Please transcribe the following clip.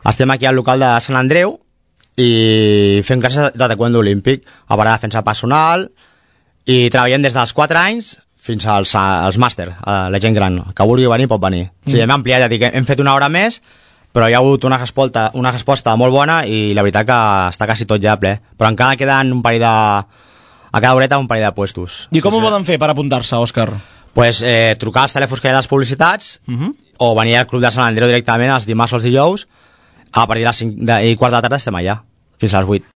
Estem aquí al local de Sant Andreu i fem classes de taekwondo olímpic, a part de defensa personal, i treballem des dels 4 anys fins als màster, la gent gran. Que vulgui venir pot venir. Sí, hem ampliat, ja dic, hem fet una hora més, però hi ha hagut una resposta molt bona i la veritat que està quasi tot ja ple. Però encara queden un parell de... A cada horeta un parell de puestos. I com ho poden fer per apuntar-se, Òscar? Pues trucar als telèfons que hi ha a les publicitats o venir al Club de Sant Andreu directament els dimarts o els dijous. A partir de les 5 i quart de la tarda estem allà, fins a les 8.